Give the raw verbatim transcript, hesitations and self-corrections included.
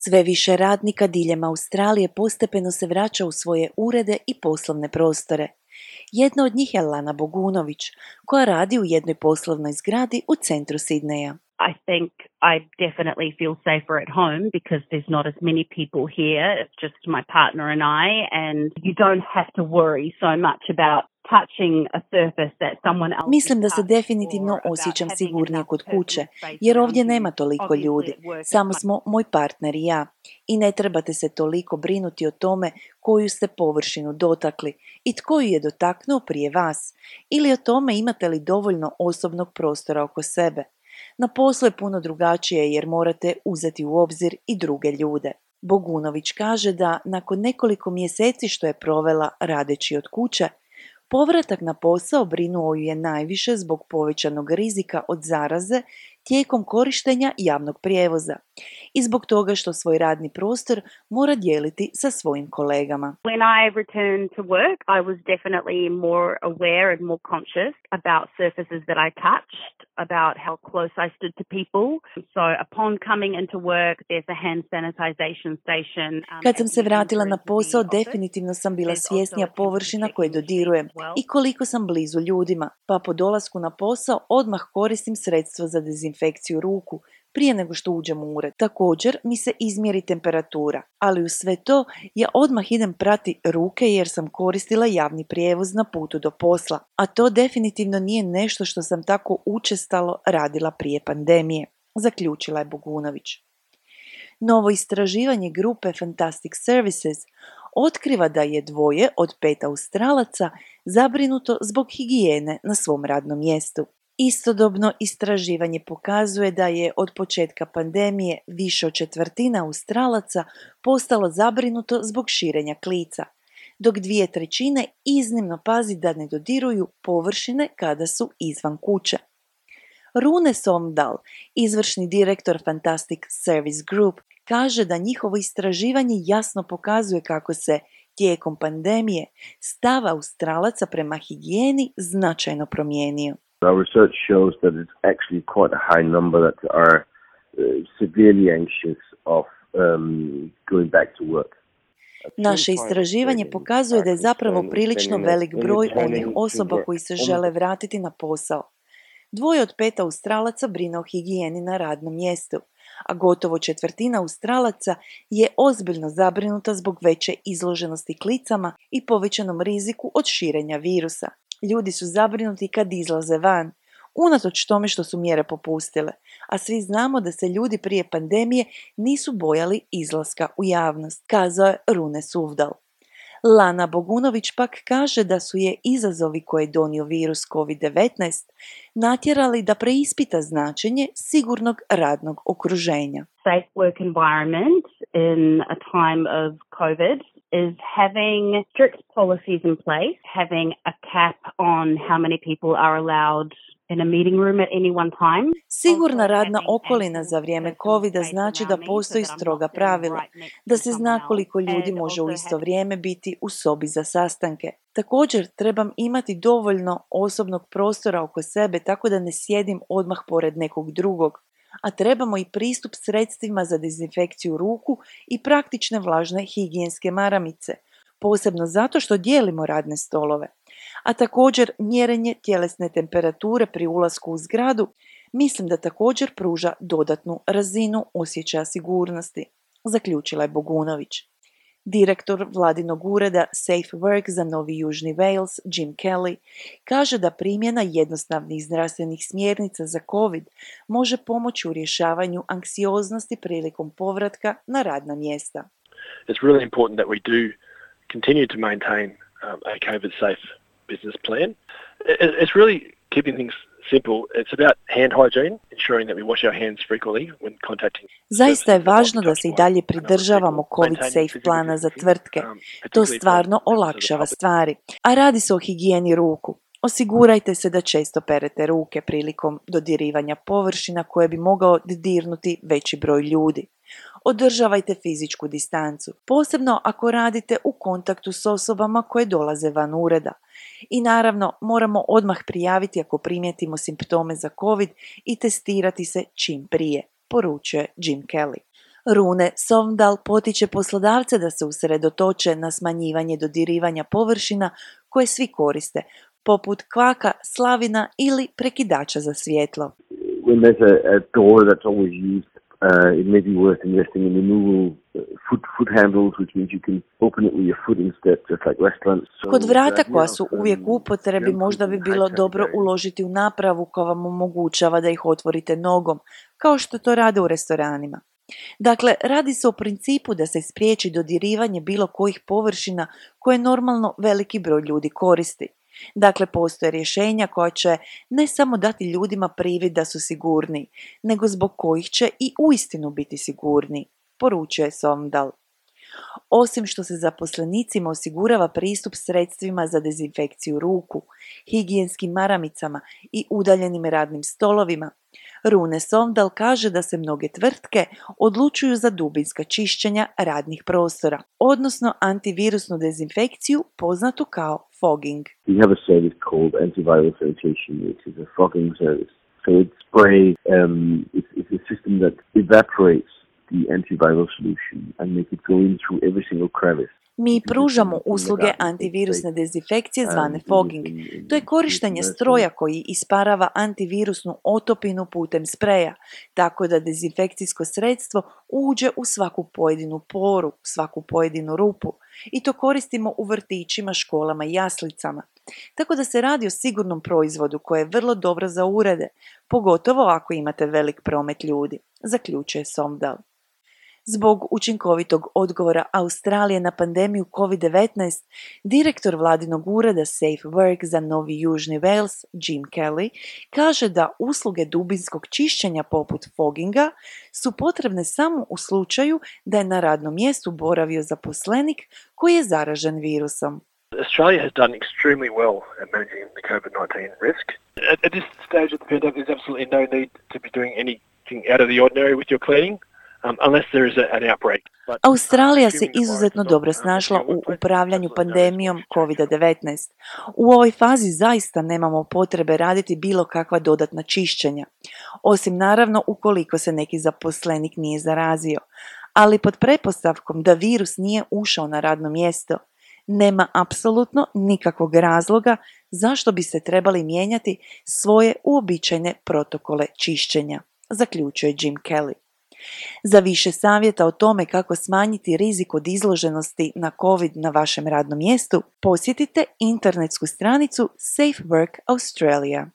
Sve više radnika diljem Australije postepeno se vraća u svoje urede i poslovne prostore. Jedna od njih je Lana Bogunović, koja radi u jednoj poslovnoj zgradi u centru Sidneja. I think I definitely feel safer at home because there's not as many people here. It's just my partner and I, and you don't have to worry so much about touching a surface that someone else. Mislim da se definitivno osjećam sigurnije kod kuće, jer ovdje nema toliko ljudi. Samo smo moj partner i ja. I ne trebate se toliko brinuti o tome koju ste površinu dotakli i tko ju je dotaknuo prije vas, ili o tome imate li dovoljno osobnog prostora oko sebe. Na poslu je puno drugačije jer morate uzeti u obzir i druge ljude. Bogunović kaže da nakon nekoliko mjeseci što je provela radeći od kuće, povratak na posao brinuo ju je najviše zbog povećanog rizika od zaraze tijekom korištenja javnog prijevoza i zbog toga što svoj radni prostor mora dijeliti sa svojim kolegama. When I returned to work, I was definitely more aware and more conscious about surfaces that I touched, about how close I stood to people. So upon coming into work, there's a hand sanitization station. Um, Kad sam se vratila na posao, definitivno sam bila svjesnija površina koje dodirujem i koliko sam blizu ljudima, pa po dolasku na posao odmah koristim sredstvo za dezinfekciju ruku prije nego što uđem u ured. Također mi se izmjeri temperatura, ali uz sve to ja odmah idem prati ruke jer sam koristila javni prijevoz na putu do posla, a to definitivno nije nešto što sam tako učestalo radila prije pandemije, zaključila je Bogunović. Novo istraživanje grupe Fantastic Services otkriva da je dvoje od pet Australaca zabrinuto zbog higijene na svom radnom mjestu. Istodobno istraživanje pokazuje da je od početka pandemije više od četvrtina Australaca postalo zabrinuto zbog širenja klica, dok dvije trećine iznimno pazi da ne dodiruju površine kada su izvan kuće. Rune Somdal, izvršni direktor Fantastic Service Group, kaže da njihovo istraživanje jasno pokazuje kako se tijekom pandemije stav Australaca prema higijeni značajno promijenio. Our research shows that it's actually quite a high number that are uh, severely anxious of um, going back to work. Naše istraživanje pokazuje da je zapravo prilično velik broj onih osoba koji se žele vratiti na posao. Dvoje od pet Australaca brine o higijeni na radnom mjestu, a gotovo četvrtina Australaca je ozbiljno zabrinuta zbog veće izloženosti klicama i povećanom riziku od širenja virusa. Ljudi su zabrinuti kad izlaze van, unatoč tome što su mjere popustile, a svi znamo da se ljudi prije pandemije nisu bojali izlaska u javnost, kazao je Rune Suvdal. Lana Bogunović pak kaže da su je izazovi koje je donio virus kovid devetnaest natjerali da preispita značenje sigurnog radnog okruženja. Safe work environment in a time of COVID is having strict policies in place, having a cap on how many people are allowed in a meeting room at any one time. Sigurna radna okolina za vrijeme covida znači da postoji stroga pravila, da se zna koliko ljudi može u isto vrijeme biti u sobi za sastanke. Također trebam imati dovoljno osobnog prostora oko sebe tako da ne sjedim odmah pored nekog drugog, a trebamo i pristup sredstvima za dezinfekciju ruku i praktične vlažne higijenske maramice, posebno zato što dijelimo radne stolove. A također mjerenje tjelesne temperature pri ulasku u zgradu mislim da također pruža dodatnu razinu osjećaja sigurnosti, zaključila je Bogunović. Direktor vladinog ureda Safe Work za Novi Južni Wales, Jim Kelly, kaže da primjena jednostavnih zdravstvenih smjernica za COVID može pomoći u rješavanju anksioznosti prilikom povratka na radna mjesta. It's really important that we do continue to maintain um, a COVID safe business plan. It, it's really keeping things simple. It's about hand hygiene, ensuring that we wash our hands frequently when contacting. Zaista je važno da se i dalje pridržavamo COVID safe plana za tvrtke. To stvarno olakšava stvari. A radi se o higijeni ruku. Osigurajte se da često perete ruke prilikom dodirivanja površina koje bi mogao dodirnuti veći broj ljudi. Održavajte fizičku distancu, posebno ako radite u kontaktu s osobama koje dolaze van ureda. I naravno, moramo odmah prijaviti ako primijetimo simptome za COVID i testirati se čim prije, poručuje Jim Kelly. Rune Sovndal potiče poslodavce da se usredotoče na smanjivanje dodirivanja površina koje svi koriste, poput kvaka, slavina ili prekidača za svjetlo. When there's a, a door that's always used, uh, it may be worth investing in removal foot foot handles, which means you can open it with your foot instead, just like restaurants. So Kod vrata the idea koja of, su um, uvijek u upotrebi možda bi bilo high-traffic dobro areas. uložiti u napravu koja vam omogućava da ih otvorite nogom, kao što to rade u restoranima. Dakle, radi se o principu da se spriječi dodirivanje bilo kojih površina koje normalno veliki broj ljudi koristi. Dakle, postoje rješenja koja će ne samo dati ljudima privid da su sigurniji, nego zbog kojih će i uistinu biti sigurniji, poručuje Sovndal. Osim što se zaposlenicima osigurava pristup sredstvima za dezinfekciju ruku, higijenskim maramicama i udaljenim radnim stolovima, Rune Sovndal kaže da se mnoge tvrtke odlučuju za dubinska čišćenja radnih prostora, odnosno antivirusnu dezinfekciju poznatu kao fogging. We have a service called antiviral sanitation, which is a fogging service. So it's spray, um, it's, it's a system that evaporates the antiviral solution and make it go in through every single crevice. Mi pružamo usluge antivirusne dezinfekcije zvane fogging. To je korištenje stroja koji isparava antivirusnu otopinu putem spreja, tako da dezinfekcijsko sredstvo uđe u svaku pojedinu poru, svaku pojedinu rupu. I to koristimo u vrtićima, školama i jaslicama. Tako da se radi o sigurnom proizvodu koji je vrlo dobro za urede, pogotovo ako imate velik promet ljudi, zaključuje Sovndal. Zbog učinkovitog odgovora Australije na pandemiju covid devetnaest, direktor vladinog ureda Safe Work za Novi Južni Wales, Jim Kelly, kaže da usluge dubinskog čišćenja poput fogginga su potrebne samo u slučaju da je na radnom mjestu boravio zaposlenik koji je zaražen virusom. Australia has done extremely well at managing the covid nineteen risk. At, at this stage of the pandemic, there's absolutely no need to be doing anything out of the ordinary with your cleaning. Um, unless there is a, an outbreak. But, Australija se izuzetno dobro snašla u upravljanju pandemijom covid devetnaest. U ovoj fazi zaista nemamo potrebe raditi bilo kakva dodatna čišćenja, osim naravno ukoliko se neki zaposlenik nije zarazio, ali pod pretpostavkom da virus nije ušao na radno mjesto, nema apsolutno nikakvog razloga zašto bi se trebali mijenjati svoje uobičajene protokole čišćenja, zaključuje Jim Kelly. Za više savjeta o tome kako smanjiti rizik od izloženosti na COVID na vašem radnom mjestu, posjetite internetsku stranicu Safe Work Australia.